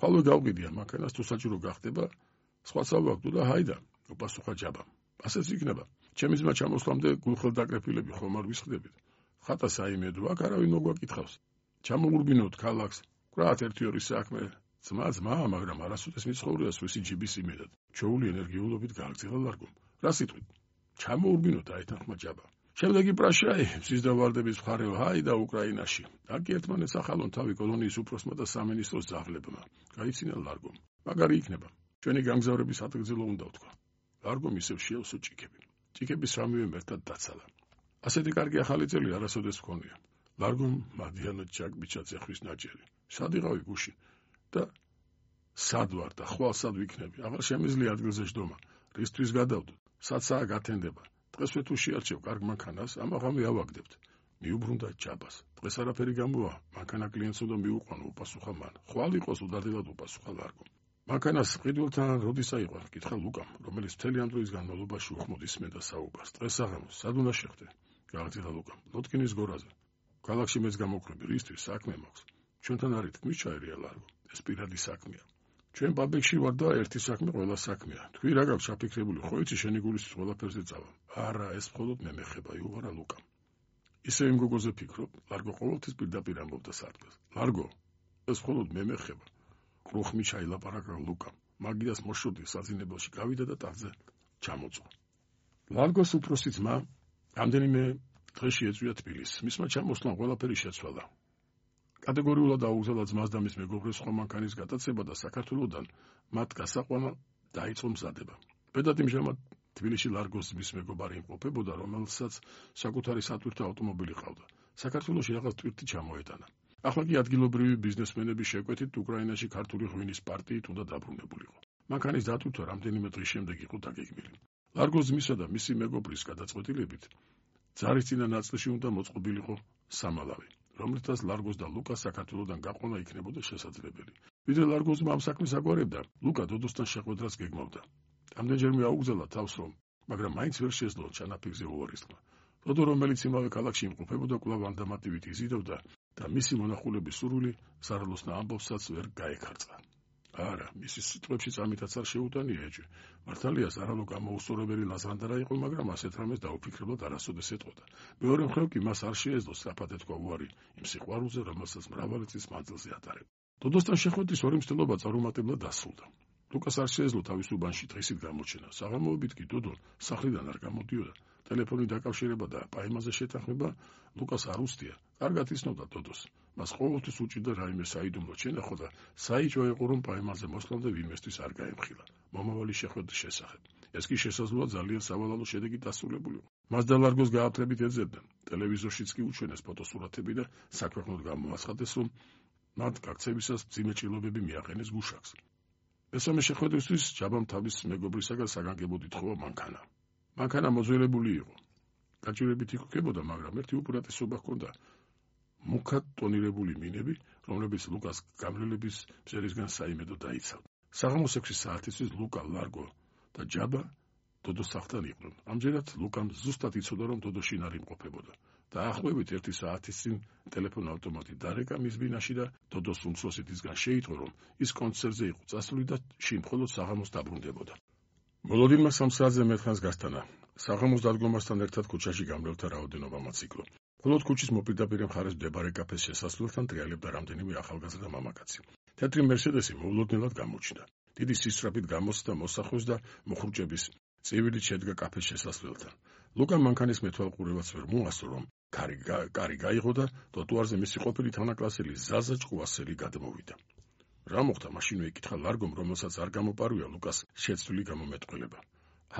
ხვალვე გავყიდია მანქანას თუ საჭირო გახდება, სხვა სავაგვდო და ჰაიდა, უპასუხა ჯაბამ. ასეც იქნება. ჩემი ძმა ჩამოსვლამდე გულხელდაკრეფილები ხომ არ ვისხდებით. ხატა საიმედო, აქ არავინ მოგვაკითხავს. ჩამოურბინოთ ქალაქს, ვკრათ ერთი-ორი საქმე. ძმა, მაგრამ არასოდეს მიცხოვრია სვისი ჯიბის იმედად. ჩვეული ენერგიულობით გააგრძელა ლარგომ. რა სიტყვით? ჩამოურბინოთ აეთანხმა ჯაბა. შემდეგი პრაშაი, მზის და ვარდების მხარეო ჰაიდა უკრაინაში. აქ ერთმანეთს ახალონ თავი კოლონიის უფროსმა და სამინისტროს ძაღლებმა. გაიცინა ლარგომ. მაგარი იქნება. ჩვენი გამგზავრების ადგილზელო უნდა ვთქვა. ლარგომ ისევ შეელსო ჭიქები. ჭიქები სამივე ერთად დაცალა. ასეთი კარგი ახალი წელი არასოდეს მქონია. ლარგომ მადიანო ჩაკბიჩა ძეხვის ნაჭერი. სად იყავი გუში? და სად ვარ და ხვალ სად ვიქნები? აღარ შემიძლია ადგილზე ჯდომა. რისთვის გადავდო? საცაა გათენდება. დღესვე თუ შეარჩევ კარგ მანქანას, ამაღამე ავაგდებთ. მიუბრუნდა ჯაბას. დღეს არაფერი გამოვა, მანქანა კლიენტს უნდა მიუყვანო, უპასუხა მან. ხვალ იყოს უდარდელად უპასუხა ლარგომ. მანქანას ყიდულთან როდის აიყვან? კითხა ლუკამ, რომელიც მთელი ამ დროის განმავლობაში უხმოდ ისმენდა საუბარს. დღეს საღამოს, სად უნდა შეხვდე? გააგრძელა ლუკამ. ლოტკინის გორაზე. ქალაქში მეც გამოვკრები, რისთვის საქმე მაქვს. ჩვენთან არის თქმის ჩაერია ლარგო. ეს პირადი საქმეა. ჩვენ ბაბექში ვარ და ერთი საქმე ყველა საქმეა. თქვი რა გაქვს ჩაფიქრებული, ხო იცი შენი გულისთვის ყველაფერზე წავა. არა, ეს მხოლოდ მე მეხება, იუღარა ლუკამ. ისე იმ გოგოზე ფიქრობ, ლარგო ყოველთვის პირდაპირ ამბობდა სარდლას. ლარგო, ეს მხოლოდ მე მეხება. კრუხმი ჩაილაპარაკა ლუკამ. მაგიას მოშოდი საძინებელში გავიდა და ტახტზე ჩამოწვა. ლარგოს უფროსი ძმა რამდენიმე დღეში ეწვია თბილისს. მისმა ჩამოსვლამ ყველაფერი შეცვალა. კატეგორიულად აუგზავნა ძმას და მის მეგობრებს ხომ მანქანის გატაცება და საქართველოსთან მათ გასაყვანა დაიწყო მზადება. ბედად იმჟამად თბილისში ლარგოს ძმის მეგობარი იმყოფებოდა, რომელსაც საკუთარი სატვირთო ავტომობილი ყავდა. საქართველოში რაღაც ტვირთი ჩამოეტანა. ახლა კი ადგილობრივი ბიზნესმენების შეკვეთით უკრაინაში ქართული ღვინის პარტიით უნდა დაბრუნებულიყო. მანქანის დატვირთვა რამდენიმე დღის შემდეგ იყო დაგეგმილი. ლარგოს ძმისა და მისი მეგობრის გადაწყვეტილებით ძარისწინა ნაწილში უნდა მოწყობილიყო სამალავი, რომლითაც ლარგოს და ლუკას საქართველოსთან გაყვანა იქნებოდა შესაძლებელი. ვიდრე ლარგოს ამ საქმეს აგვარებდა, ლუკა დოდოსთან შეხვედრას გეგმავდა. რამდენჯერმე აუგზავნა თავს რომ, მაგრამ მაინც ვერ შეძლო ჩანაფიქრზე უვარისმა. დოდო, რომელიც იმავე ქალაქში იმყოფებოდა, კვლავ ანდამატივით იზიდავდა და მისი მონახულების სურვილი სარალოსნა ამბავსაც ვერ გაეკარწყა. არა, მისი სიტყვებშიც ამითაც არ შეუტანია ეჭვი. მართალია სარალო გამოუსწორებელი ლაზრანდარა იყო, მაგრამ ასეთ რამეს დაუფიქრებლად არასოდეს ეტყოდა. მეორე მხრივ კი მას არ შეეძლო სწრაფად ეთქვა უარი იმ სიყვარულზე, რომელსაც მრავალი წლის მანძილზე ატარებდა. დოდოსთან შეხვედრის ორი მცდელობა წარუმატებლად დასრულდა. ლუკას არ შეეძლო თავის უბანში დღისით გამოჩენა. საღამოობით კი დოდო სახლიდან არ გამოდიოდა. ტელეფონი დაკავშირება და პაემაზე შეთანხმება ლუკას არ უსდია. კარგად იცნობდა დოდოს. მას ყოველთვის უჭირდა რაიმე საიდუმლო ჩენახო და საიჭო იყო რომ პაემაზე მოსვლამდე ვინმესთვის არ გაემხილა მომავალი შეხვედრის შესახებ. ეს კი შესაძლოა ძალიან სავალალო შედეგით დასრულებულიყო. მას და ლარგოს გააფრთხილებით ეძებდნენ. ტელევიზორშიც კი უჩვენეს ფოტოსურათები და საქვეყნოდ გამოაცხადეს, რომ მათ გაქცევისას მძიმე ჭრილობები მიაყენეს გუშაკს. მესამე შეხვედრისთვის ჯაბამ თავის მეგობრისაგან საგანგებოდ ითხოვა მანქანა. მანქანა მოძველებული იყო. გაჭირებით იქქებოდა, მაგრამ ერთი უპირატესობა ჰქონდა. მუქად ტონირებული მინები, რომლებიც ლუკას გამრავლების მზერისგან საიმედო დაიცავდა. საღამოს 6 საათისთვის ლუკა, ლარგო და ჯაბა დოდოს სახლთან იყვნენ. ამჯერად ლუკამ ზუსტად იცოდა, რომ დოდო შინ არ იმყოფებოდა. დაახლოებით 1 საათის წინ ტელეფონ ავტომატი დარეკა მის ბინაში და დოდოს უმცროსითისგან შეიტყო, რომ ის კონცერტზე იყო წასული და შინ მხოლოდ საღამოს დაბრუნდებოდა. მოლოდინმა 3 საათზე მერხანს გასტანა. საღამოს დადგომასთან ერთად ქუჩაში გამრავლთა რაოდენობა მოციქლო. მხოლოდ ქუჩის მოპირდაპირე მხარეს მდებარე კაფეს შესასვლელთან ტრიალებდა რამდენიმე ახალგაზრდა მამაკაცი. თეთრი მერსედესი მოულოდნელად გამოჩნდა. დიდი სისწრაფით გამოსცდა მოსახვეს და მოხრუჭების წივილით შედგა კაფეს შესასვლელთან. ლუკამ მანქანის მეთვალყურებაც ვერ მოასწრო, რომ კარი გაიღო და ტროტუარზე მისი ყოფილი თანაკლასელი ზაზა ჭკუასელი გადმოვიდა. რა მოხდა? მაშინვე ეკითხა ლარგომ, რომელსაც არ გამოპარვია ლუკას შეცვლილი გამომეტყველება.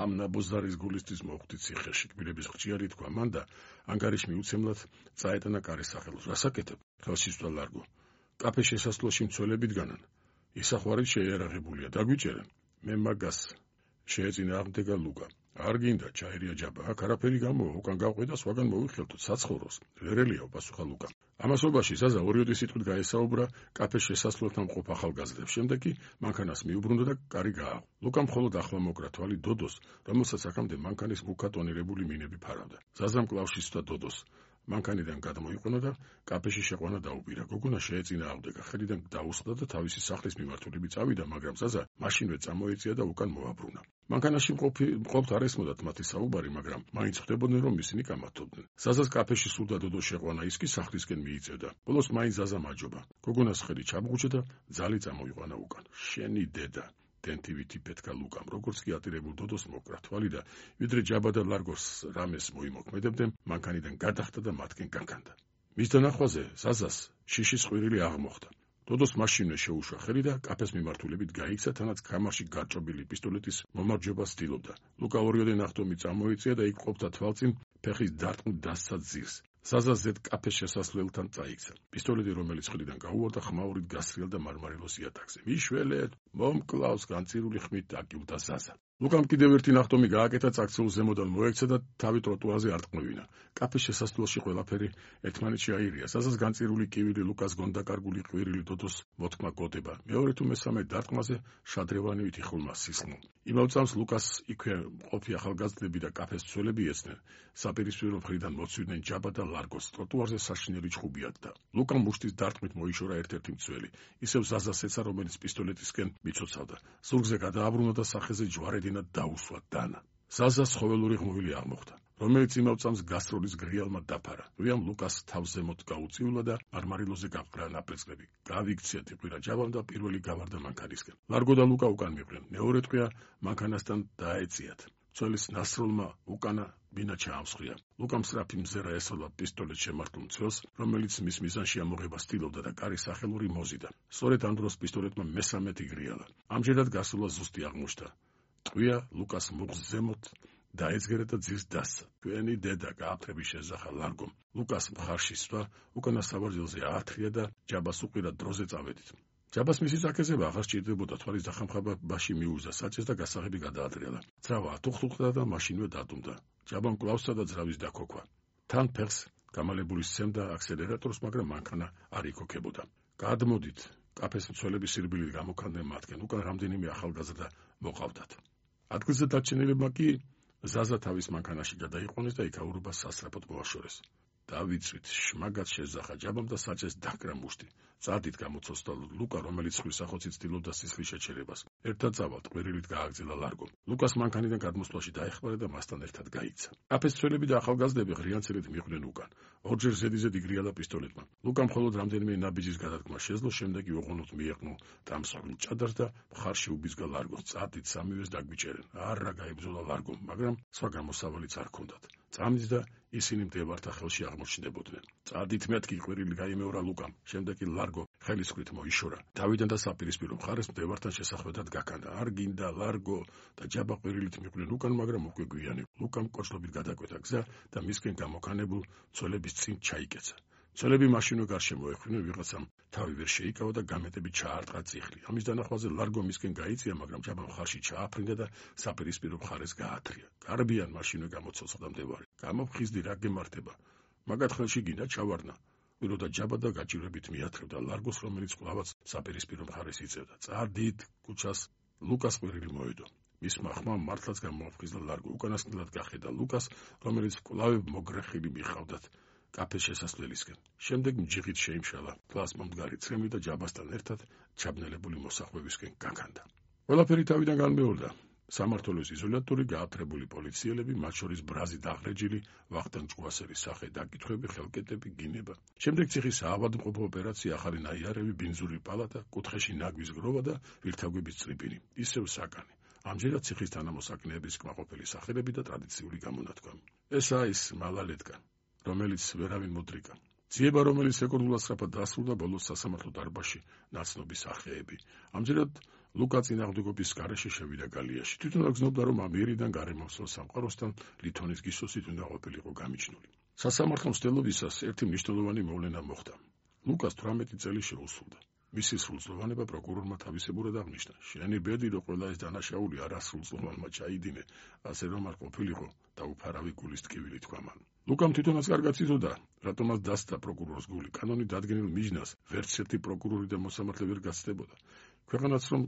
ამ ნაბოზარის გულისთვის მოხვდი ციხეში, კბილების ხრჭიარი თქვა მან და ანგარიშ მიუცემლად წაეტანა კარის სახელოს. რასაკეთებ? ხელში სვლა ლარგო. კაფეს შესასვლელში მცველები დგანან. ისახვარი შეიარაღებულია, დაგვიჭერენ. მე მაგას შეეწინა აღდგა ლუკა. არ გინდა, ჩაერია ჯაბა. აქ არაფერი გამოვა, უკან გავყვე და სხვაგან მოვიხელთო საცხოვროს. ვერელია, უპასუხა ლუკა. ამასობაში ზაზა ორიოდი სიტყვით გაესაუბრა კაფეს შესასვლელთან მყოფ ახალგაზრდებს. შემდეგ კი მანქანას მიუბრუნდა და კარი გააღო. ლუკამ მხოლოდ ახლა მოკრა თვალი დოდოს, რომელსაც აქამდე მანქანის მუქად ტონირებული მინები ფარავდა. ზაზამ კლავში სვდა დოდოს. მანქანიდან გადმოიყვანა და კაფეში შეყვანა დაუპირა. გოგონა შეეწინააღმდეგა, ხელიდან დაუსხდა და თავისი სახლის მიმართულებით წავიდა, მაგრამ ზაზა მაშინვე წამოეწია და უკან მოაბრუნა. მანქანაში მყოფთ არ ესმოდათ მათი საუბარი, მაგრამ მაინც ხვდებოდნენ, რომ ისინი კამათობდნენ. ზაზას კაფეში სურდა დოდო შეყვანა, ის კი სახლისკენ მიიწევდა. ბოლოს მაინც ზაზა მაჯობა. გოგონას ხელი ჩამოუჭდა და ძალი წამოიყვანა უკან. შენი დედა დენთივით იფეთქა ლუკამ, როგორც კი ატირებულ დოდოს მოკრა თვალი და ვიდრე ჯაბა და ლარგოს რამეს მოიმოქმედებდნენ, მანქანიდან გადახტა და მათკენ გაგანდა. მის დანახვაზე ზაზას შიშის ყვირილი აღმოხდა. დოდოს მაშინვე შეუშვა ხელი და კაფეს მიმართულებით გაიქცა, თანაც ქამარში გაჭრობილი პისტოლეტის მომარჯვებას ცდილობდა. ლუკა ორიოდე ნახტომი წამოიწია და იქ ყოფდა თვალწინ ფეხის დარტყმით დასცა ძირს. ზაზა ზედ კაფეს შესასვლელთან წაიქცა. პისტოლეტი, რომელიც ხელიდან გაუვარდა, ხმაურით გასრიალ და მარმარილოს იატაკზე. მიშველეთ, მომკლავს, განწირული ხმით დაკიუტა ზაზა. ლუკამ კიდევ ერთი ნახტომი გააკეთა, წაქცეულ ზემოდან მოექცა და თავი ტროტუარზე არტყმევინა. კაფეს შესასვლელში ყველაფერი ერთმანეთში აირია. ზაზას განწირული კივილი, ლუკას გონდაკარგული ყვირილი, დოდოს მოთქმა გოდება. მეორე თუ მესამე დარტყმაზე შადრევანივით იხულმა სისხლო. იმავე წამს ლუკას იქვე მყოფი ახალგაზრდები და კაფეს მცველები ეცნენ. საპირისპირო მხრიდან მოცვიდნენ ჯაბა და ლარგოს. ტროტუარზე საშინელი ჩხუბი ატდა. ლუკამ მუშტის დარტყმით მოიშორა ერთ-ერთი მცველი. ისევ ზაზას ეცა, რომელიც პისტოლეტისკენ მიცოცავდა. ზურგზე გადააბრუნა და სახეზე ჯვარედინად დაუსვა დანა. ზაზას ხოველური ღმოვილი აღმოხდა, რომელიც იმავე წამს გასტროლის გრიალმა დაფარა. რუიამ ლუკას თავს ზემოთ გაუწიულა და მარმარილოზე გაყრა ნაპრეწლები. გავიქცია ტიპირა ჯაბამ და პირველი გავარდა მანქანისკენ. ლარგო და ლუკა უკან მიყვნენ. მეორე ტყვია მანქანასთან დაეციათ. მცველის ნასროლმა უკანა მინა ჩაამსხვრია. ლუკამ სწრაფი მზერა ესწოდა პისტოლეტს შემართულ მცველს, რომელიც მის მიზანში ამოღებას ცდილობდა და კარის სახელური მოზიდა. სწორედ ამ დროს პისტოლეტმა მესამეთი გრიალა. ამჯერად გასულა ზუსტი აღმოჩნდა. ტყვია ლუკას მუხს ზემოთ დაეძგერა და ძირს დასცა. თქვენი დედა გააფრთხები შეზახა ლარგომ. ლუკას მხარში სვა, უკანა საბარძელზე აათრია და ჯაბას უყირა დროზე წავედით. ჯაბას მისი საკეზება აღარ სჭირდებოდა, თვალის დახამხაბაში მიუძდა საჭეს და გასაღები გადაატრიალა. ძრავა ათუხთუხდა და მაშინვე დადუმდა. ჯაბამ კვლავსა და ძრავის დაქოქვა. თან ფეხს გამალებული სცემდა აქსელერატორს, მაგრამ მანქანა არ იქოქებოდა. გადმოდით, კაფეს მცველები სირბილით გამოქანდნენ მათგან, უკან რამდენიმე ახალგაზრდა მოყავდათ. ადგილზე დარჩენილებმა კი ზაზა თავის მანქანაში გადაიყვანეს და იქაურობას სასწრაფოდ მოაშორეს. დავიცვით, შმაგად შეზახა ჯაბამ და საჭეს დაკრა მუშტი. წადით გამოცოცდა ლუკა, რომელიც ხვისახოცით ცდილობდა სისხლის შეჩერებას. ერთად წავალთ, ყვირილით გააგრძელა ლარგომ. ლუკას მანქანიდან გადმოსვლაში დაეხმარა და მასთან ერთად გაიქცა. კაფეს მცველები და ახალგაზრდები ღრიანცელით მიყვნენ უკან. ორჯერ ზედიზედ იგრიალა პისტოლეტმა. ლუკამ მხოლოდ რამდენიმე ნაბიჯის გადადგმა შეძლო, შემდეგ კი ოღონდ მიეყნო დამსხვრილ ჭადარს და მხარში უბიზგა ლარგოს. წადით, სამივეს დაგვიჭერენ. არა გაიბრძოლა ლარგომ, მაგრამ სხვა გამოსავალიც არ ჰქონდათ. წამით და ისინი მდევართა ხელში აღმოჩნდებოდნენ. წადით, მეთქი, ყვირილი გაიმეორა ლუკამ. შემდეგ კი ლარგო ხელისქვით მოიშორა. თავიდან და საპირისპირო მხარეს მდევართან შესახვედრად გაქანდა. არ გინდა ლარგო და ჯაბა ყვირილით მიყვნენ უკან, მაგრამ უკვე გვიანი. ლუკამ კოჭლობით გადაკვეთა გზა და მისკენ გამოქანებულ მცველების წინ ჩაიკეცა. მცველები მაშინვე გარშემო ეხვინენ, ვიღაცამ თავი ვერ შეიკავა და გამეტებით ჩაარტყა წიხლი. ამის დანახვაზე ლარგო მისკენ გაიწია, მაგრამ ჯაბა მხარში ჩააფრინდა და საპირისპირო მხარეს გაათრია. გარბიან მაშინვე გამოცოცხლდა მდევარი. გამოფხიზდი, რა გემართება? მაგათ ხელში გინდა ჩავარნა. ვილოდა ჯაბა და გაჭირვებით მიათრევდა ლარგოს, რომელიც კვლავაც საპირისპირო მხარეს იწევდა. წადით, ქუჩას ლუკას ყვირილი მოედო. მისმა ხმამ მართლაც გამოფხიზდა ლარგო. უკანასკნელად გახედა ლუკას, რომელიც კვლავ მოგრეხილი მიხავდათ კაფეს შესასვლელისკენ. შემდეგ მჯიღით შეიმშალა თვალს მომდგარი ცრემლი და ჯაბასთან ერთად ჩაბნელებული მოსახვევისკენ გაქანდა. ყველაფერი თავიდან განმეორდა. სამმართველოს იზოლატორი, გააფრთხებული პოლიციელები, მათ შორის ბრაზი დაღრეჯილი, ვახტანგ ჭკუასელის სახე დაკითხვები, ხელკეტები, გინება. შემდეგ ციხის საავადმყოფო ოპერაცია, ახალი ნაიარევი, ბინძური პალატა, კუთხეში ნაგვის გროვა და ვირთაგვების წრიბინი. ისევ საკანი. ამჯერად ციხის თანამოსაკნეების კმაყოფილი სახელები და ტრადიციული გამონათქვამი. ესაა ის მალალეტკა, რომელიც ვერავინ მოდრიკა. ძიება, რომელიც ეკონდულად სწრაფად დასრულდა, ბოლოს სასამართლო დარბაზში ნაცნობის სახეები. ამჯერად ლუკა წინააღმდეგობის გარეშე შევიდა გალიაში. თვითონ აგრძნობდა, რომ ამ ერიდან გარემოსულ სამყაროსთან ლითონის გისოსით უნდა ყოფილიყო გამიჩნული. სასამართლო მცდელობისას ერთი მნიშვნელოვანი მოვლენა მოხდა. ლუკას 18 წელი შეუსრულდა. მისი სრულწლოვანება პროკურორმა თავისებურად აღნიშნა. შენი ბედი, რომ ყველა ეს დანაშაული არასრულწლოვანმა ჩაიდინე, ასე რომ არ ყოფილიყო და უფარავი გულის ტკივილი თქვა მან. ლუკამ თვითონაც კარგად იცოდა, რატომაც დასცა პროკურორის გული. კანონით დადგენილ მიჯნას ვერც ერთი პროკურორი და მოსამართლე ვერ გაცდებოდა. ქვეყანაც რომ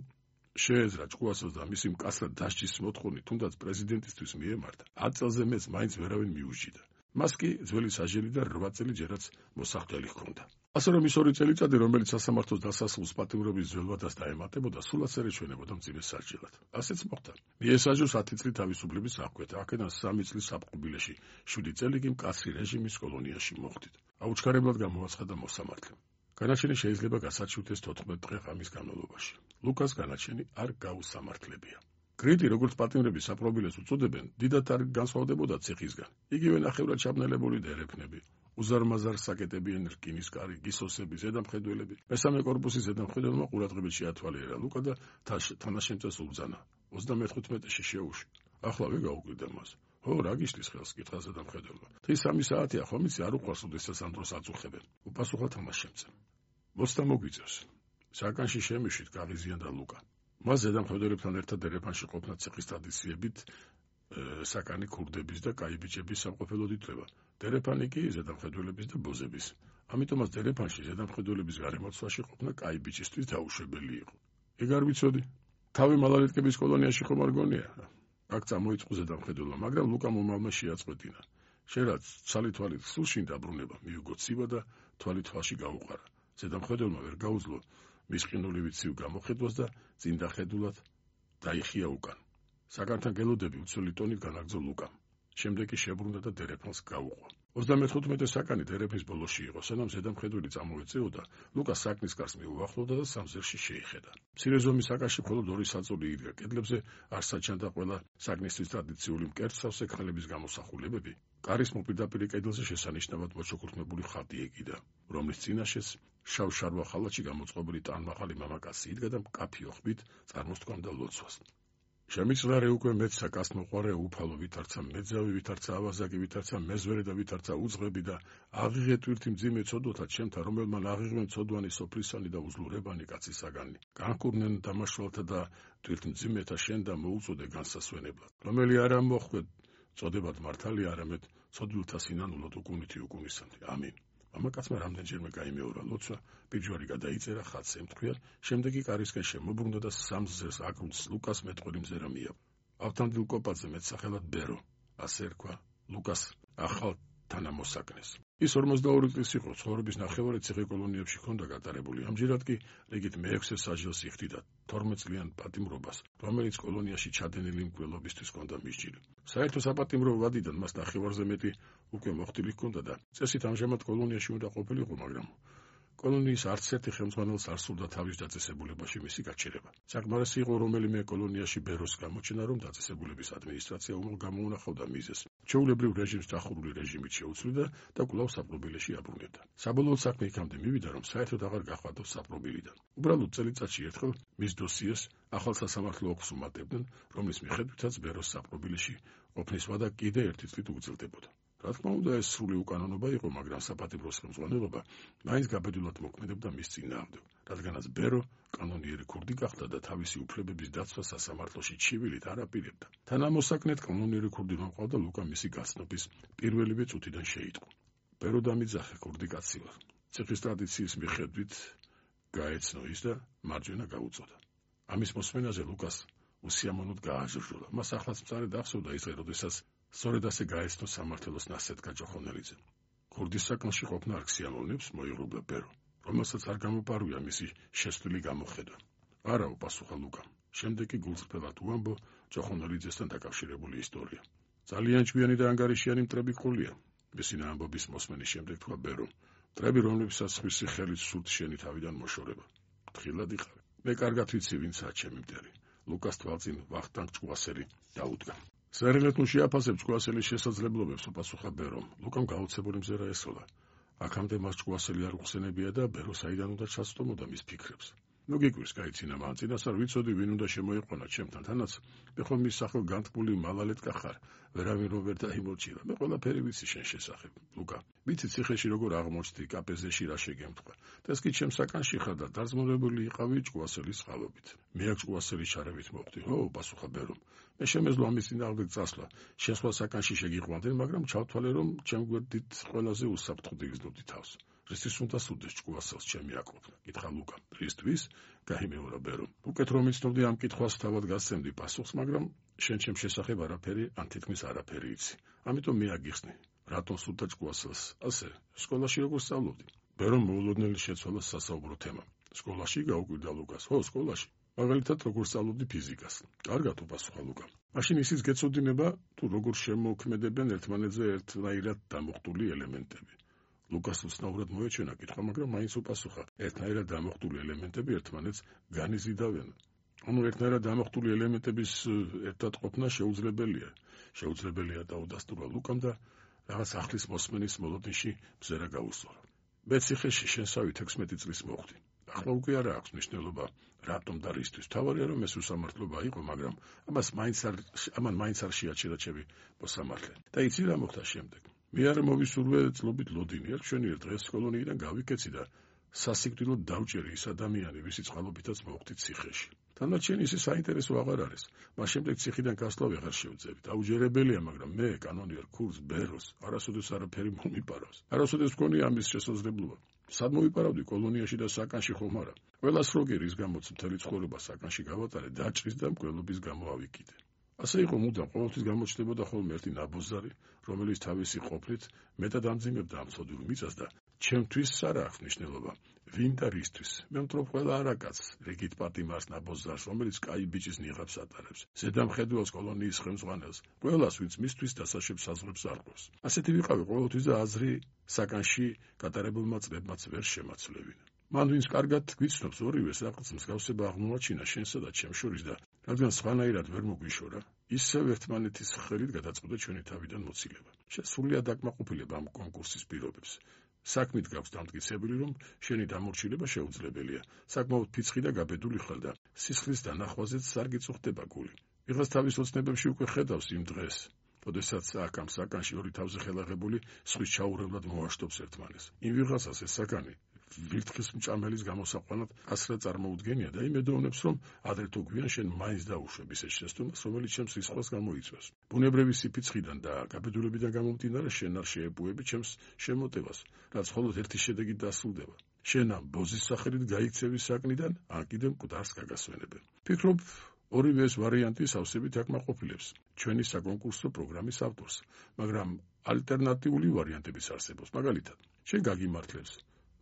შეეძრა ჭკუასოს და მისი მკაცრად დასჯის მოთხოვნით, თუნდაც პრეზიდენტისთვის მიემართა, 10 წელზე მეც მაინც ვერავინ მიუსჯიდა. მას კი ძველი საჟელი და 8 წელი ჯერაც მოსახდელი ჰქონდა. ასე რომ ის 2 წელიწადი, რომელიც სასამართლოს დასასრულს პატიმრობის ძველვადას დაემატებოდა, სულაც არ ეჩვენებოდა მძიმე სასჯელად. ასეც მოხდა. მიესაჯოს 10 წლით თავისუფლების აღკვეთა, აქედან 3 წლის საპყრობილეში, 7 წელი კი მკაცრი რეჟიმის კოლონიაში მოხდით. აუჩქარებლად გამოაცხადა მოსამართლემ. განაჩენი შეიძლება გასაჩივრდეს 14 დღე ღამის განმავლობაში. ლუკას განაჩენი არ გაუსამართლებია. კრიტი, როგორც პატიმრების საპყრობილეს უწოდებენ, დიდად არ განსხვავდებოდა ციხისგან. იგივე ნახევრად ჩაბნელებული დერეფნები, უზარმაზარ საკეტებიანი რკინის კარი, გისოსები, ზედამხედველები. მესამე კორპუსის ზედამხედველმა ყურადღებით შეათვალიერა ლუკა და თანაშემწეს უბრძანა. 35-ში შეუშვი. ახლავე გაუკვირდა მას. ო, რა გიშლის ხელს, კითხა ზედამხედველმა. დღის 3 საათია, ხომ იცი, არ უყვარს, ოდესაც ამ დროს აწუხებენ. უპასუხა თანაშემწემ. მოცდა მოგვიწევს. საკანში შემიშვით, გაღიზიანდა ლუკა. მას ზედამხედველებთან ერთად დერეფანში ყოფნა ციხის ტრადიციებით საკანი ქურდების და კაიბიჭების სამყოფელოდ ითვლება. დერეფანი კი ზედამხედველების და ბოზების. ამიტომაც დერეფანში ზედამხედველების გარემოცვაში ყოფნა კაიბიჭისთვის დაუშვებელი იყო. ეგ არ ვიცოდი. თავი მალალეტკების კოლონიაში ხომ არ გონია? აქ წამოიწყო ზედამხედველმა, მაგრამ ლუკა მომალმა შეაწყვეტინა. შენ რაც ცალი-თვალით სულშინ დაბრუნება, მიუგო ცივა და თვალი თვალში გაუყარა. ზედამხედველმა ვერ გაუძლო მის ყინულივით ცივ გამოხედვას და წინდახედულად დაიხია უკან. საკანთან გელოდები უცვლელი ტონით განაგრძო ლუკამ. შემდეგ კი შებრუნდა და დერეფანს გაუყვა. 35 საკანი დერეფნის ბოლოში იყო, სანამ ზედამხედველი წამოეწეოდა, ლუკა საკნის კარს მიუახლოვდა და სამზერში შეიხედა. მცირე ზომის საკანში მხოლოდ 2 საწოლი იდგა. კედლებზე არ საჩანდა ყველა საკნისთვის ტრადიციული მკერდსავსე ქალების გამოსახულებები. კარის მოპირდაპირე კედელზე შესანიშნავად მოჩუქურთმებული ხატი ეკიდა, რომლის წინაშეც შავ-შარვა ხალათში გამოწყობილი ტანმაღალი მამაკაცი იდგა და მკაფიო ხმით წარმოსთქვამდა ლოცვას. შემიძლარე უკვე მეცსა კაცმოყვარე უფალო ვითარცა მეძავი ვითარცა ავაზაკი ვითარცა მეზვერე და ვითარცა უძღები და აღიღე ტვირთი მძიმე ცოდვათა ჩემთა რომელმან აღიღმენ ცოდვანი სოფლისანი და უძლურებანი კაცისაგანი განკურნენ დამაშვალთა და ტვირთ მძიმეთა შენ და მოუწოდე განსასვენებლად რომელი არ ამოხვდეთ წოდებად მართალია არამედ ცოდვილთა სინანულად უკუნითი უკუნისანთი ამინ მამაკაცმა რამდენჯერმე გაიმეორა ლოცვა, პირჯვარი გადაიწერა, ხატს ემთხვია, შემდეგ კი კარისკენ შემობრუნდა და სამზერს აკრუც ლუკას მეტყველი მზერა მიაყო. ავთანდილ კოპაძე მეტსახელად ბერო, ასე ერქვა ლუკას ახალ თანამოსაკნეს. ის 42 წლის იყო, ცხოვრების ნახევარი ციხე კოლონიებში ჰქონდა გატარებული. ამჯერად კი რიგით მე-6 საჯელს იხდიდა 12 წლიან პატიმრობას, რომელიც კოლონიაში ჩადენილი მკვლელობისთვის ჰქონდა მისჯილი. საერთო საპატიმრო ვადიდან მას ნახევარზე მეტი უკვე მოხდილი ჰქონდა და წესით ამჟამად კოლონიაში უნდა ყოფილიყო, მაგრამ კოლონიის არც ერთი ხელმძღვანელს არ სურდა თავის დაწესებულებაში მისი გაჩერება. საკმარისი იყო რომელიმე კოლონიაში ბეროს გამოჩენა, რომ დაწესებულების ადმინისტრაცია უმალ გამოუნახავდა მიზეზს. ჩვეულებრივ რეჟიმს დახურული რეჟიმით შეუცვლიდა და კვლავ საპყრობილეში აბრუნებდა. საბოლოოდ საქმე იქამდე მივიდა, რომ საერთოდ აღარ გახვადოს საპყრობილიდან. უბრალოდ წელიწადში ერთხელ მის დოსიეს ახალ სასამართლო ოფისს უმატებდნენ, რომლის მიხედვითაც ბეროს საპყრობილეში ყოფნის ვადა კიდე 1 წლით უგრძელდებოდა. რა თქმა უნდა, ეს სრული უკანონობა იყო, მაგრამ საპატიმროს ხელმძღვანელობა მაინც გაბედულად მოქმედებდა მის წინააღმდეგ, რადგანაც ბერო კანონიერი ქურდი გახდა და თავისი უფლებების დაცვა სასამართლოში ჩივილით არ აპირებდა. თანამოსაკნედ კანონიერი ქურდი რომ ყავდა, ლუკა მისი გაცნობის პირველივე წუთიდან შეიტყო. ბერო დამიძახე ქურდი კაცი ვარ. ციხის ტრადიციის მიხედვით გაეცნო ის და მარჯვენა გაუწოდა. ამის მოსმენაზე ლუკას უსიამოვნოდ გააჟრჟოლა. მას ახლაც მწარედ ახსოვდა ის დღე, როდესაც სწორედ ასე გაეცნო სამართლოს ნასცეტკა ჯოხონელიძემ. ქურდის საკანში ყოფნა არ ქსიამოვნებს, მოიღრუბლა ბერო, რომელსაც არ გამოპარვია მისი შესწვლილი გამოხედვა. არა, უპასუხა ლუკამ. შემდეგ კი გულწრფელად უამბო ჯოხონელიძესთან დაკავშირებული ისტორია. ძალიან ჭკვიანი და ანგარიშიანი მტრები ყოლია. მისი ამბობის მოსმენის შემდეგ თქვა ბერომ. მტრები, რომლებსაც ხმისი ხელით სურთ შენი თავიდან მოშორება. თხილად იყავი. მე კარგად ვიცი, ვინცაა ჩემი მტერი. ლუკას თვალწინ ვახტანგ ჭკუასელი დაუდგა. სერილეთ ნუ შეაფასებ ჭკუასელის შესაძლებლობებს, უპასუხა ბერომ. ლუკამ გაუცებული მზერა ესოლა. აქამდე მას ჭკუასელი არ უხსენებია და ბერო საიდან უნდა ჩასწომოდა მის ფიქრებს. ნუ გიკვირს, გაიცინა მან წინასწარ ვიცოდი ვინ უნდა შემოიყვანა ჩემთან, თანაც მე ხომ მის სახელ განთქმული მალალეტკა ხარ, ვერავინ რომ ვერ დაიმორჩილა. მე ყველაფერი ვიცი შენ შესახებ. ლუკა, ვიცი ციხეში როგორ აღმოჩნდი, კაპეზეში რა შეგემთქვა. და ეს კი ჩემ საკანში ხარ და დაძმობებული იყავი ჭკუასელის წყალობით. მე აქ ჭკუასელის ჩარევით მოხდი. ო, პასუხა ბერომ. მე შემეძლო ამის წინააღმდეგ წასვლა. შენ სხვა საკანში შეგიყვანდნენ, მაგრამ ჩავთვალე, რომ ჩემ გვერდით ყველაზე უსაფრთხოდ იგრძნობდი თავს. რისთვის უნდა სუდეს ჭკუასელს ჩემი აკროფნა? კითხა ლუკა. რისთვის? გაიმეორა ბერომ. უკეთ რომ იცნობდი ამ კითხვას თავად გასცემდი პასუხს, მაგრამ შენ ჩემ შესახებ არაფერი, ან თითქმის არაფერი იცი. ამიტომ მე აგიხსნი. რატომ სურდა ჭკუასელს? ასე, სკოლაში როგორ სწავლობდი? ბერომ მოულოდნელი შეცვალა სასაუბრო თემა. სკოლაში გაუკვირდა ლუკას. ხო, სკოლაში. მაგალითად, როგორ სწავლობდი ფიზიკას. კარგად უპასუხა ლუკამ. მაშინ ისიც გეცოდინება, თუ როგორ შემოქმედებენ ერთმანეთზე ერთნაირად დამოხტული ელემენტები. ლუკას უცნაურად მოეჩვენა კითხვა, მაგრამ მაინც უპასუხა. ერთნაირად დამოხტული ელემენტები ერთმანეთს განიზიდავენ. ანუ ერთნაირად დამოხტული ელემენტების ერთად ყოფნა შეუძლებელია. შეუძლებელია დაუდასტურა ლუკამ და რაღაც ახლის მოსმენის მოლოდინში მზერა გაუსწორა. მეციხეში შენსავი 16 წლის მოხდი. ახლა უკვე არა აქვს მნიშვნელობა რატომ და რისთვის. თავარია რომ ეს უსამართლობა იყო, მაგრამ ამან მაინც არ შეაჩერა ჩემი მოსამართლე. და იცი რა მოხდა შემდეგ? მე არ მოვისურვე წლობით ლოდინი არ ჩვენიერ დღეს კოლონიიდან გავიკეცი და სასიკვდილოდ დავჭერი ის ადამიანი, ვისი წყალობითაც მოვხდით ციხეში. თანდაჩენი ისე საინტერესო აღარ არის. მას შემდეგ ციხიდან გასვლა ვეღარ შევძები. დაუჯერებელია, მაგრამ მე კანონიერ ქურს ბეროს არასოდეს არაფერი მომიპარავს. არასოდეს მქონია ამის შესაძლებლობა. სად მოვიპარავდი კოლონიაში და საკანში ხომ არა? ყველას როგი რის გამოც მთელი ცხოვრება საკანში გავატარე, დაჭრის და მკვლობის გამო ავიკიდე. ასე იყო მუდამ ყოველთვის გამოჩნდებოდა ხოლმე ერთი ნაბოზარი, რომელიც თავისი ყოფნით მეტად ამძიმებდა ამ ცოდვილ მიწას და ჩემთვის არ აქვს მნიშვნელობა ვინ და რისთვის. მე მტრობ ყველა არაკაცს, რიგით პატიმარს ნაბოზარს, რომელიც კაი ბიჭის ნიღაბს ატარებს, ზედამხედველს კოლონიის ხელმძღვანელს, ყველას ვინც მისთვის დასაშვებ საზღვრებს არყევს. ასეთი ვიყავი ყოველთვის და აზრი საკანში გატარებულმა წლებმაც ვერ შემაცვლევინა. მან ვინც კარგად გვიცნობს ორივეს რაღაც მსგავსება აღმოაჩინა შენსა და ჩემს შორის და რადგან სხვანაირად ვერ მოგვიშორა, ისევ ერთმანეთის ხელით გადაწყვეტა ჩვენი თავიდან მოცილება. სრულიად აკმაყოფილებ ამ კონკურსის პირობებს. საქმით გაქვს დამტკიცებული, რომ შენი დამორჩილება შეუძლებელია. საკმაოდ ფიცხი და გაბედული ხარ და სისხლის დანახვაზეც არ გიწუხდება გული. ვიღაც თავის ოცნებებში უკვე ხედავს იმ დღეს, როდესაც აქ ამ საკანში ორი თავზე ხელაღებული სხვის ჩაურევლად მოაშტობს ერთმანეს. იმ ვიღაცას ეს საკანი ვირთხის მჭამელის გამოსაყვანად ასრა წარმოუდგენია და იმედოვნებს, რომ ადრე თუ გვიან შენ მაინც დაუშვებ ისეთ შეცდომას, რომელიც ჩემს რისხვას გამოიწვევს. ბუნებრივი სიფიცხიდან და გაბედულებიდან გამომდინარე შენ არ შეეპუები ჩემს შემოტევას, რაც მხოლოდ ერთი შედეგით დასრულდება. შენ ამ ბოზის სახელით გაიქცევი საკნიდან, ან კიდევ მკვდარს გაგასვენებენ. ფიქრობ, ორივე ეს ვარიანტი სავსებით აკმაყოფილებს ჩვენი საკონკურსო პროგრამის ავტორს, მაგრამ ალტერნატიული ვარიანტებიც არსებობს. მაგალითად, შენ გაგიმართლებს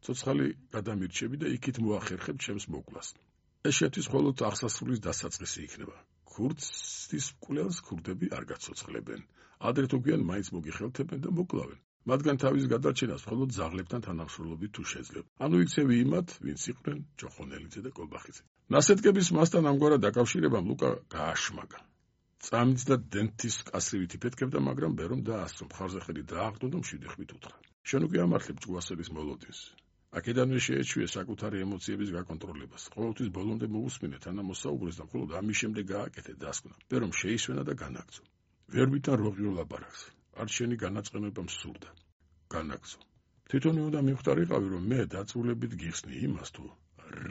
ცოცხალი გადამირჩები და იქით მოახერხებ ჩემს მოკვლას. ეს შეთვის მხოლოდ აღსასრულის დასაწყისი იქნება. ქურდის მკვლელს ქურდები არ გაცოცხლებენ. ადრე თუ გვიან მაინც მოგიხელთებენ და მოკლავენ. მათგან თავის გადარჩენას მხოლოდ ზაღლებთან თანამშრომლობით თუ შეძლებ. ანუ იქცევი იმათ, ვინც იყვნენ ჯოხონელიძე და კოლბახიძე. ნასეტკების მასთან ამგვარად დაკავშირებამ ლუკა გააშმაგა. წამიც და დენთის კასრივით იფეთქებდა, მაგრამ ბერომ დაასწრო, მხარზე ხელი დააღდო და მშვიდი ხმით უთხრა. შენ უკვე ამართლებ ჭკუასელის მოლოდინს. აქედანვე შეეჩვია საკუთარი ემოციების გაკონტროლებას. ყოველთვის ბოლომდე მოусმინე თანა მოსაუბრეს და მხოლოდ ამის შემდეგ გააკეთე დასკვნა. ბერომ შეისვენა და განაგრძო. ვერ ვითარ როღიო ლაპარაკს. არ შენი განაწყენება მსურდა. განაგრძო. თვითონი უნდა მივხვდარიყავი, რომ მე დაწვრილებით გიხსნი იმას თუ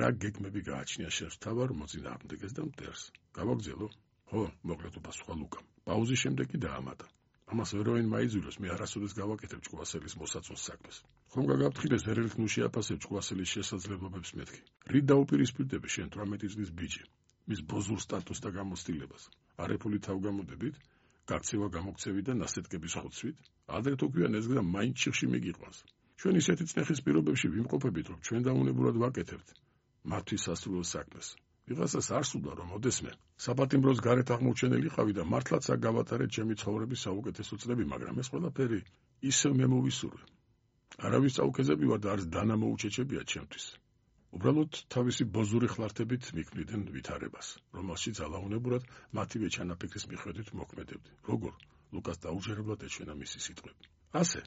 რა გეგმები გააჩნია შენს თავარ მოწინააღმდეგეს და მტერს. გავაგრძელო? ხო, მოკლედ უპასუხა ლუკამ. პაუზის შემდეგ კი დაამატა. ამას ვერავინ მაიძულებს, მე არასოდეს გავაკეთებ ჭკუასელის მოსაწონს საქმეს. ხომ გაგაფრთხილეს ერელით ნუ შეაფასებ ჭკუასელის შესაძლებლობებს მეთქი. რით დაუპირისპირდები შენ 18 წლის ბიჭი, მის ბოზურ სტატუსს და გამოცდილებას. არაფული თავგამოდებით, გაქცევა გამოქცევით და ნასეტკების ხოცვით, ადრე თუ გვიან ეს გზა მაინც ჩიხში მიგიყვანს. ჩვენ ისეთი წნეხის პირობებში ვიმყოფებით, რომ ჩვენ დაუნებურად ვაკეთებთ მათთვის სასურველ საქმეს. ვიღაცას არ სურდა, რომ ოდესმე საპატიმროს გარეთ აღმოჩენილიყავი და მართლაც აქ გავატარეთ ჩემი ცხოვრების საუკეთესო წლები, მაგრამ ეს ყველაფერი ისევ მე მოვისურვე. არავის წაუქეზები ვარ და არც დანა მოუჩეჩებია ჩემთვის. უბრალოდ თავისი ბოზური ხლართებით მიქმნიდნენ ვითარებას, რომელშიც ალაუნებურად მათივე ჩანაფიქრის მიხედვით მოქმედებდი. როგორ? ლუკას დაუჯერებლად ეჩვენა მისი სიტყვები. ასე,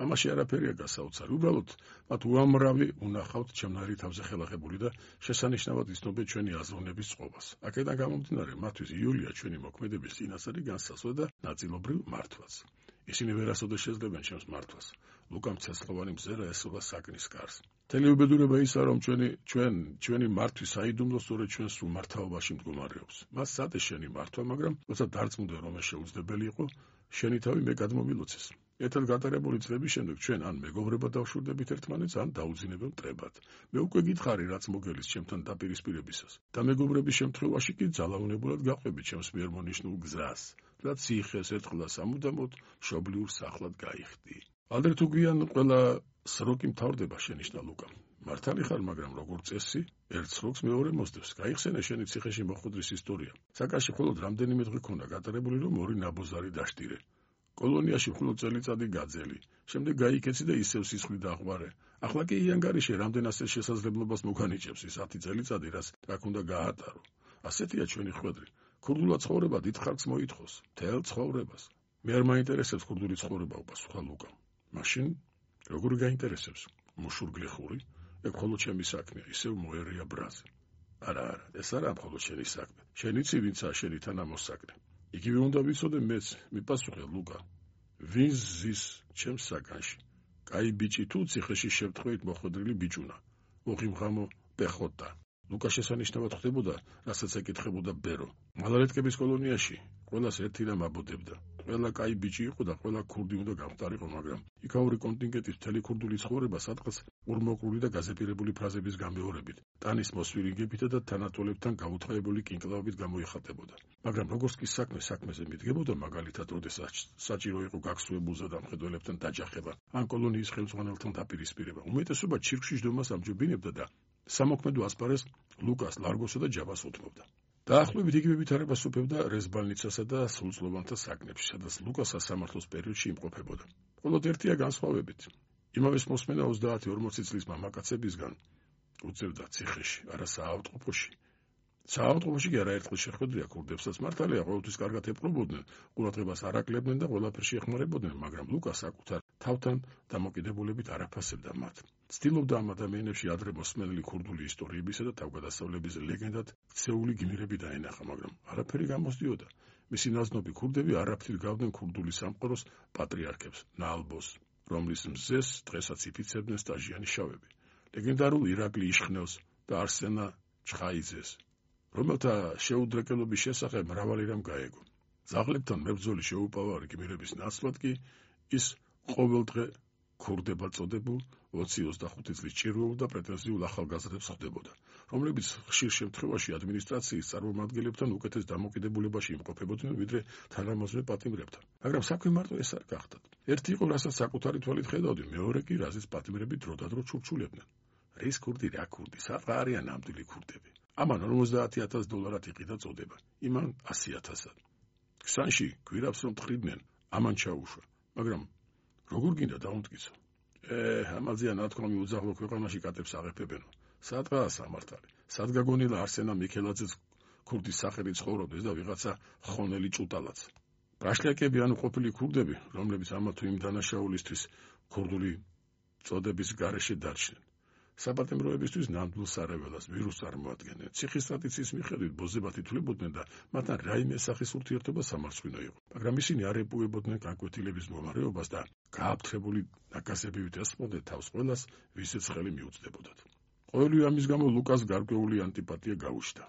ამაში არაფერია გასაოცარი. უბრალოდ მათ უამრავი უნახავთ ჩემნარი თავზე ხელახებული და შესანიშნავად იცნობენ ჩვენი აზროვნების წყობას. აქედან გამომდინარე, მათთვის იულია ჩვენი მოქმედების წინასწარი განსაზღვრა და ნაწილობრივ მართვაც. ისინი ვერასოდეს შეძლებენ ჩემს მართვას. ლუკამ ცეცხლოვანი მზერა ესობა საკნის კარს. მთელი უბედურება ისაა, რომ ჩვენი მართვის საიდუმლო სწორედ ჩვენს უმართავობაში მდგომარეობს. მას სცადეს შენი მართვა, მაგრამ როცა დარწმუნდა, რომ ეს შეუძლებელი იყო, შენი თავი მე გადმომილოცეს. ერთად გატარებული წლების შემდეგ ჩვენ ან მეგობრებად დავშვირდებით ერთმანეთს, ან დაუძინებელ მტრებად. მე უკვე გითხარი, რაც მოგელის ჩემთან დაპირისპირებისას. და მეგობრების შემთხვევაში კი ძალაუნებულად გაყვებით ჩემს მიერ მონიშნულ გზას, რაც სიხეს ერთხლა სამუდამოდ მშობლიურ სახლად გაიხდი. ადრე თუ გვიან ყველა სროკი მთავრდება, შენიშნა ლუკა. მართალი ხარ, მაგრამ როგორც წესი, ერთ სროკს მეორე მოსდევს. გაიხსენე შენი ციხეში მოხვედრის ისტორია. საკაში მხოლოდ რამდენიმე დღე ქონდა გატარებული, რომ ორი ნაბოზარი დაშტირე. კოლონიაში მხოლოდ წელიწადი გაძელი. შემდეგ გაიქეცი და ისევ სისხლი დაღვარე. ახლა კი იანგარიში რამდენასე შესაძლებლობას მოგანიჭებს ის 10 წელიწადი, რაც აქ უნდა გაატარო. ასეთია ჩვენი ხვედრი. ქურდულად ცხოვრება დიდ ხარკს მოითხოვს, მთელ ცხოვრებას. მე არ მაინტერესებს ქურდული ცხოვრება, უპასუხა ლუკა. მაშინ როგორ გაინტერესებს? მუშურგლეხური? ეგ მხოლოდ ჩემი საქმეა, ისევ მოერია ბრაზე. არა, ეს არა მხოლოდ შენი საქმე. შენი ცი ვინცაა შენი თანამოსაგნე. იგივე უნდა ვიცოდე მეც, მიპასუხე ლუკა. ვინ ზის ჩემს საგანში? კაი ბიჭი თუ ციხეში შევთხვევით მოხვედრილი ბიჭუნა. უღიმღამო პეხოტა. ლუკა შესანიშნავად ხდებოდა, რასაც ეკითხებოდა ბერო. მალარეთკების კოლონიაში ყველას ერთი რამ აბოდებდა. ყველა კაი ბიჭი იყო და ყველა ქურდი უნდა გამხდარიყო, მაგრამ იქაური კონტინგენტის მთელი ქურდული ცხოვრება სადღაც ურმოყრული და გაზეპირებული ფრაზების გამეორებით, ტანის მოსვირინგებითა და თანატოლებთან გაუთხაებული კინკლავებით გამოიხატებოდა. მაგრამ როგორც კი საქმეზე მიდგებოდა, მაგალითად, როდესაც საჭირო იყო გაქსუებულზე დამხედველებთან დაჯახება, ან კოლონიის ხელმძღვანელთან დაპირისპირება, უმეტესობა ჩირკში ჯდომას ამჯობინებდა და სამოქმედო ასპარეზს ლუკას, ლარგოსა და ჯაბას უთმობდა. დაახლოებით იგივე ვითარებას უფევდა რეზბალნიცასა და სრულწლოვანთა საგნებში, სადაც ლუკა სასამართლოს პერიოდში იმყოფებოდა. მხოლოდ ერთია განსხვავებით. იმავეს მოსმენა 30-40 წლის მამაკაცებისგან უწევდა ციხეში, არა საავადმყოფოში. საავადმყოფოში კი არაერთხელ შეხვედრია ქურდებსაც. მართალია, ყოველთვის კარგად ეპყრობოდნენ, ყურადღებას არ აკლებდნენ და ყველაფერში ეხმარებოდნენ, მაგრამ ლუკა საკუთარ თავთან დამოკიდებულებით არ აფასებდა მათ. ცდილობდა ამ ადამიანებში ადრე მოსმენილი ქურდული ისტორიებისა და თავგადასავლების ლეგენდად ქცეული გმირები დაენახა, მაგრამ არაფერი გამოსდიოდა. მისი ნაზნობი ქურდები არაფრით გავდნენ ქურდული სამყაროს პატრიარქებს, ნალბოს, რომლის მზეს დღესაც იფიცებდნენ სტაჟიანი შავები. ლეგენდარულ ირაკლი იშხნელს და არსენა ჩხაიძეს, რომელთა შეუდრეკელობის შესახებ მრავალი რამ გაეგო. ძაღლებთან მებრძოლი შეუპოვარი გმირების ნაცვლად კი ის ყოველდღე ქურდებად წოდებულ 20-25 წლის ჭირვეულ და პრეტენზიულ ახალგაზრდებს ხდებოდა, რომლებიც ხშირ შემთხვევაში ადმინისტრაციის წარმომადგენლებთან უკეთეს დამოკიდებულებაში იმყოფებოდნენ, ვიდრე თანამოძმე პატიმრებთან. მაგრამ საქმე მარტო ეს არ გახდათ. ერთი იყო, რასაც საკუთარი თვალით ხედავდი, მეორე კი, რაზეც პატიმრები დროდადრო ჩურჩულებდნენ. რის ქურდი, რა ქურდი, საყა არიან ნამდვილი ქურდები. ამან $50,000 იყიდა წოდება, იმან 100,000. ქსანში გვირაბს რომ თხრიდნენ, ამან ჩაუშვა, მაგრამ როგორ გინდა დაუმტკიცო? ამაზეა ნათქვამი უძაღლო ქვეყანაში კატებს აღეფებენო. სადღაა სამართალი? სად გაგონილა არსენა მიქელაძეს ქურდის სახელი ცხოვრობდეს და ვიღაცა ხონელი ჭუტალაც? პრაშლაკები ანუ ყოფილი ქურდები, რომლებიც ამა თუ იმ დანაშაულისთვის ქურდული წოდების გარეშე დარჩნენ. საპატიმროებისთვის ნამდვილ სარეველას ვირუსს წარმოადგენენ. ციხის ტრადიციის მიხედვით ბოზებათი თვლებოდნენ და მათთან რაიმე სახის ურთიერთობა სამარცხვინო იყო. მაგრამ ისინი არ ეპოვებოდნენ განკვეთილების მდგომარეობას და გააფთრებული ნაკასებივით ესწმოდნენ თავს ყველას, ვისაც ხელი მიუწდებოდათ. ყოველივე ამის გამო ლუკას გარკვეული ანტიპათია გაუჩნდა.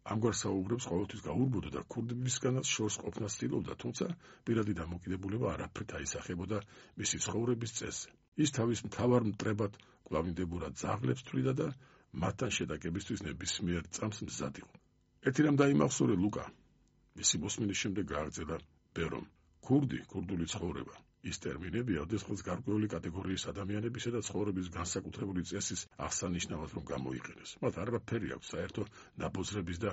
ამგვარ საუბრებს ყოველთვის გაურბოდა და ქურდებისგანაც შორს ყოფნას ცდილობდა, თუმცა პირადი დამოკიდებულება არაფრით აისახებოდა მისი ცხოვრების წესზე. ის თავის მთავარ მტრებად კვლავინდებურად ძაღლებს თვლიდა და მათთან შეტაკებისთვის ნებისმიერ წამს მზად იყო. ერთი რამ დაიმახსოვრე ლუკა. მისი მოსმენის შემდეგ გააგრძელა ბერომ. ქურდული ცხოვრება. ის ტერმინები ოდესღაც გარკვეული კატეგორიის ადამიანებისა და ცხოვრების განსაკუთრებული წესის აღსანიშნავად რომ გამოიყენეს. მათ არაფერი აქვს საერთო ნაბოზრების და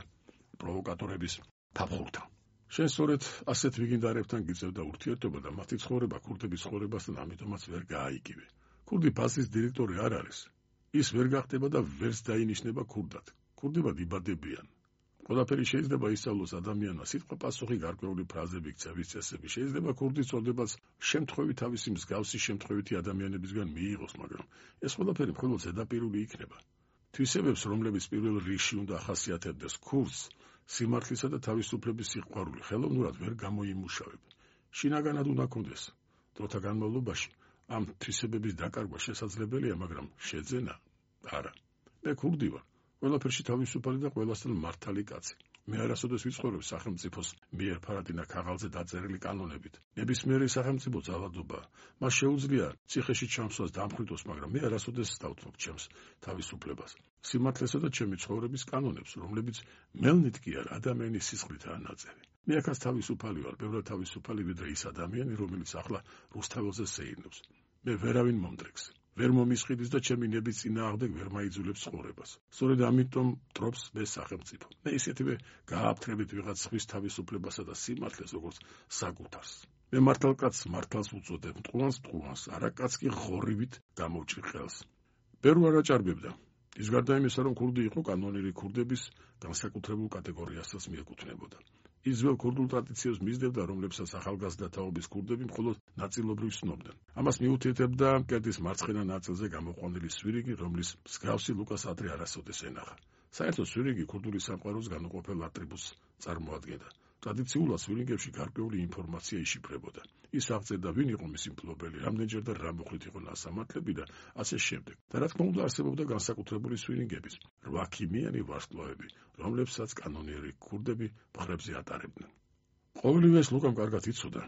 პროვოკატორების ფაფხურთან. შენ სწორედ ასეთ ვიგინდარებთან გიწევდა ურთიერთობა და მათი ცხოვრება ქურდების ცხოვრებასთან ამიტომაც ვერ გააიგივე. ქურდი ფასის დირექტორი არ არის. ის ვერ გახდება და ვერც დაინიშნება ქურდად. ქურდებად იბადებიან. ყველაფერი შეიძლება ისწავლოს ადამიანმა, სიტყვა პასუხი გარკვეული ფრაზები, ქცევის წესები. შეიძლება ქურდის წოდებაც შემთხვევით თავისი მსგავსი შემთხვევითი ადამიანებისგან მიიღოს, მაგრამ ეს ყველაფერი მხოლოდ ზედაპირული იქნება. თვისებებს, რომლებიც პირველ რიგში უნდა ახასიათებდეს ქურდს, სიმართლისა და თავისუფლების სიყვარული ხელოვნურად ვერ გამოიმუშავებ. შინაგანად უნდა კონდეს. დროთა განმავლობაში ამ თვისებების დაკარგვა შესაძლებელია, მაგრამ შეძენა არა. მე ქურდი ვარ. ყველაფერში თავისუფალი და ყველასთან მართალი კაცი. მე არასოდეს ვიცხოვრებ სახელმწიფოს მიერ ფარადინა ქაღალდზე დაწერილი კანონებით. ნებისმიერი სახელმწიფო ძალადობა მას შეუძლია ციხეში ჩამსვლას დამხვრიტოს, მაგრამ მე არასოდეს დავთმობ ჩემს თავისუფლებას. სიმართლესა და ჩემი ცხოვრების კანონებს, რომლებიც მელნით კი არ ადამიანის სისხლითაა ნაწერი. მე აქაც თავისუფალი ვარ, ბევრად თავისუფალი ვიდრე ის ადამიანი, რომელიც ახლა რუსთაველზე სეირნობს. მე ვერავინ მომდრექს. ვერ მომისყიდის და ჩემი ნების წინააღმდეგ ვერ მაიძულებს ცხოვრებას. სწორედ ამიტომ ტრობს მე სახელმწიფო. მე ისეთივე გააფთრებით ვიღაც ხვის თავისუფლებასა და სიმართლეს, როგორც საკუთარს. მე მართალკაც მართალს უწოდებ, მტყუანს, არაკაც კი ღორივით გამოვჭრი ხელს. ბევრ არ აჭარბებდა. ის გარდა იმისა, რომ ქურდი იყო, კანონიერი ქურდების განსაკუთრებულ კატეგორიასაც მიეკუთვნებოდა. ის ძველ ქურდულ ტრადიციებს მისდევდა, რომლებსაც ახალგაზრდა თაობის ქურდები მხოლოდ ნაწილობრივ ცნობდნენ. ამას მიუთითებდა მკერდის მარცხენა ნაწილზე გამოყვანილი სვირიგი, რომლის მსგავსი ლუკას ადრე არასოდეს ენახა. საერთოდ სვირიგი ქურდული სამყაროს განუყოფელ ატრიბუტს წარმოადგენდა. ტრადიციულად სვირინგებში გარკვეული ინფორმაცია იშიფრებოდა. ის აღწერდა, ვინ იყო მისი მფლობელი, რამდენჯერ და რა მოხდით იყო ნასამართლები და ასე შემდეგ. და რა თქმა უნდა, არსებობდა განსაკუთრებული სვირინგების, 8 ქიმიანი ვარსკვლავები, რომლებსაც კანონიერი ქურდები მხრებზე ატარებდნენ. ყოველივე ეს ლუკამ კარგად იცოდა.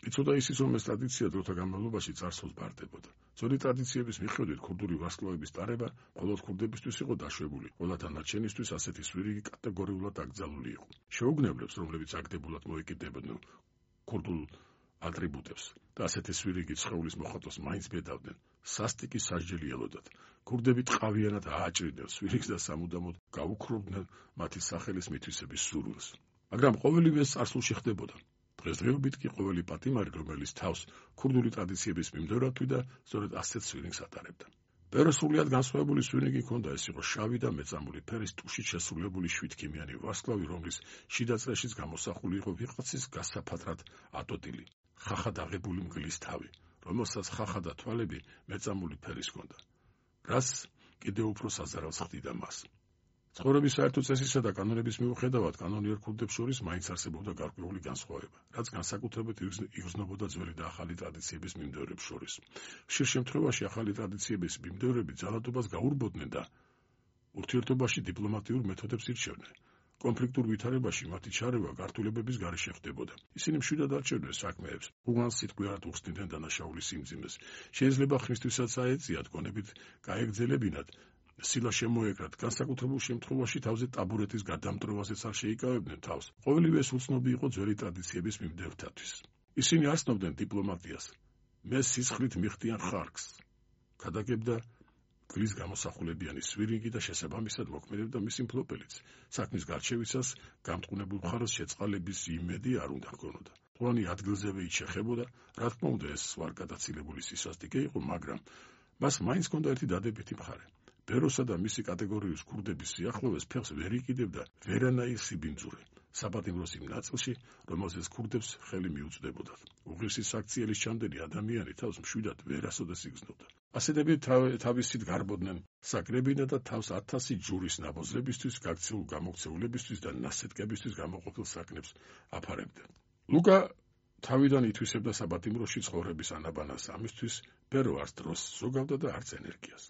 იცოდა ისიც, რომ ეს ტრადიცია დროთა განმავლობაში წარსულს ბარდებოდა. ძველი ტრადიციების მიხედვით ქურდული ვარსკვლავების ტარება მხოლოდ ქურდებისთვის იყო დაშვებული, ყველა დანარჩენისთვის ასეთი სვირიგი კატეგორიულად აკრძალული იყო. შეუგნებლებს, რომლებიც აგდებულად მოეკიდებოდნენ ქურდულ ატრიბუტებს და ასეთი სვირიგი სხეულის მოხატვას მაინც ბედავდნენ, სასტიკი სასჯელი ელოდათ. ქურდები ტყავიანად ააჭრიდნენ სვირიგს და სამუდამოდ გაუქრობდნენ მათი სახელის მითვისების სურვილს. მაგრამ ყოველივე ეს წარსულში ხდებოდა. დღესდღეობით კი ყოველი პატიმარი, რომელიც თავს ქურდული ტრადიციების მიმდევრად თვიდა, სწორედ ასეთ სვირინგს ატარებდა. ბევრი სრულიად განსხვავებული სვირინგი ჰქონდა, ეს იყო შავი და მეწამული ფერის ტუშით შესრულებული 7 ქიმიანი ვარსკვლავი, რომლის შიდა წრეშიც გამოსახული იყო ვიღაცის გასაფათრად ატოტილი, ხახად აღებული მგლის თავი, რომელსაც ხახა და თვალები მეწამული ფერის ჰქონდა, რაც კიდევ უფრო საზარალს ხდიდა მას. ცხოვრების საერთო წესისა და კანონების მიუხედავად, კანონიერ ქურდებს შორის მაინც არსებობდა გარკვეული განსხვავება, რაც განსაკუთრებით იგრძნობოდა ძველი და ახალი ტრადიციების მიმდევრებს შორის. ხშირ შემთხვევაში ახალი ტრადიციების მიმდევრები ძალადობას გაურბოდნენ და ურთიერთობაში დიპლომატიურ მეთოდებს ირჩევდნენ. კონფლიქტურ ვითარებაში მათი ჩარევა გართულებების გარეშე ხდებოდა. ისინი მშვიდად არჩევდნენ საქმეებს, უღანს სიტყვიერად უხსნიდნენ დანაშაულის სიმძიმეს. შეიძლება ხმისთვისაც აეწიათ, გონებით გაეგრძელებინათ, სილა შემოეკრათ, განსაკუთრებულ შემთხვევაში თავზე ტაბურეტის გადამტროვაზეც არ შეიკავებდნენ თავს. ყოველივე ეს უცნობი იყო ძველი ტრადიციების მიმდევრთათვის. ისინი არ ცნობდნენ დიპლომატიას. მე სისხლით მიხდიან ხარკს. ქადაგებდა გლის გამოსახულებიანი სვირინგი და შესაბამისად მოქმედებდა მისი მფლობელიც. საქმის გარჩევისას გამტყუნებულ მხარეს შეწყალების იმედი არ უნდა ჰქონოდა. ყველანი ადგილზევე იჩეხებოდა, რა თქმა უნდა, ეს ვარ გადაცილებული სისასტიკე იყო, მაგრამ მას მაინც ჰქონდა ერთი დადებითი მხარე. ბეროსა და მისი კატეგორიის ქურდების სიახლოვეს ფეხს ვერ იკიდებდა ვერანაირი სიბინძურე. საპატიმროს იმ ნაწილში, რომელზეც ქურდებს ხელი მიუწვდებოდათ. უღირსი საქციელის ჩამდენი ადამიანი თავს მშვიდად ვერასოდეს იგრძნობდა. ასეთები თავისით გარბოდნენ საკრებინა და თავს 1000 ჯურის ნაბოზრებისთვის, გაქცეულ გამოქცეულებისთვის და ნასეტკებისთვის გამოყოფილ საკნებს აფარებდნენ. ლუკა თავიდან ითვისებდა საპატიმროში ცხოვრების ანაბანას, ამისთვის ბევრ არც დროს ზოგავდა და არც ენერგიას.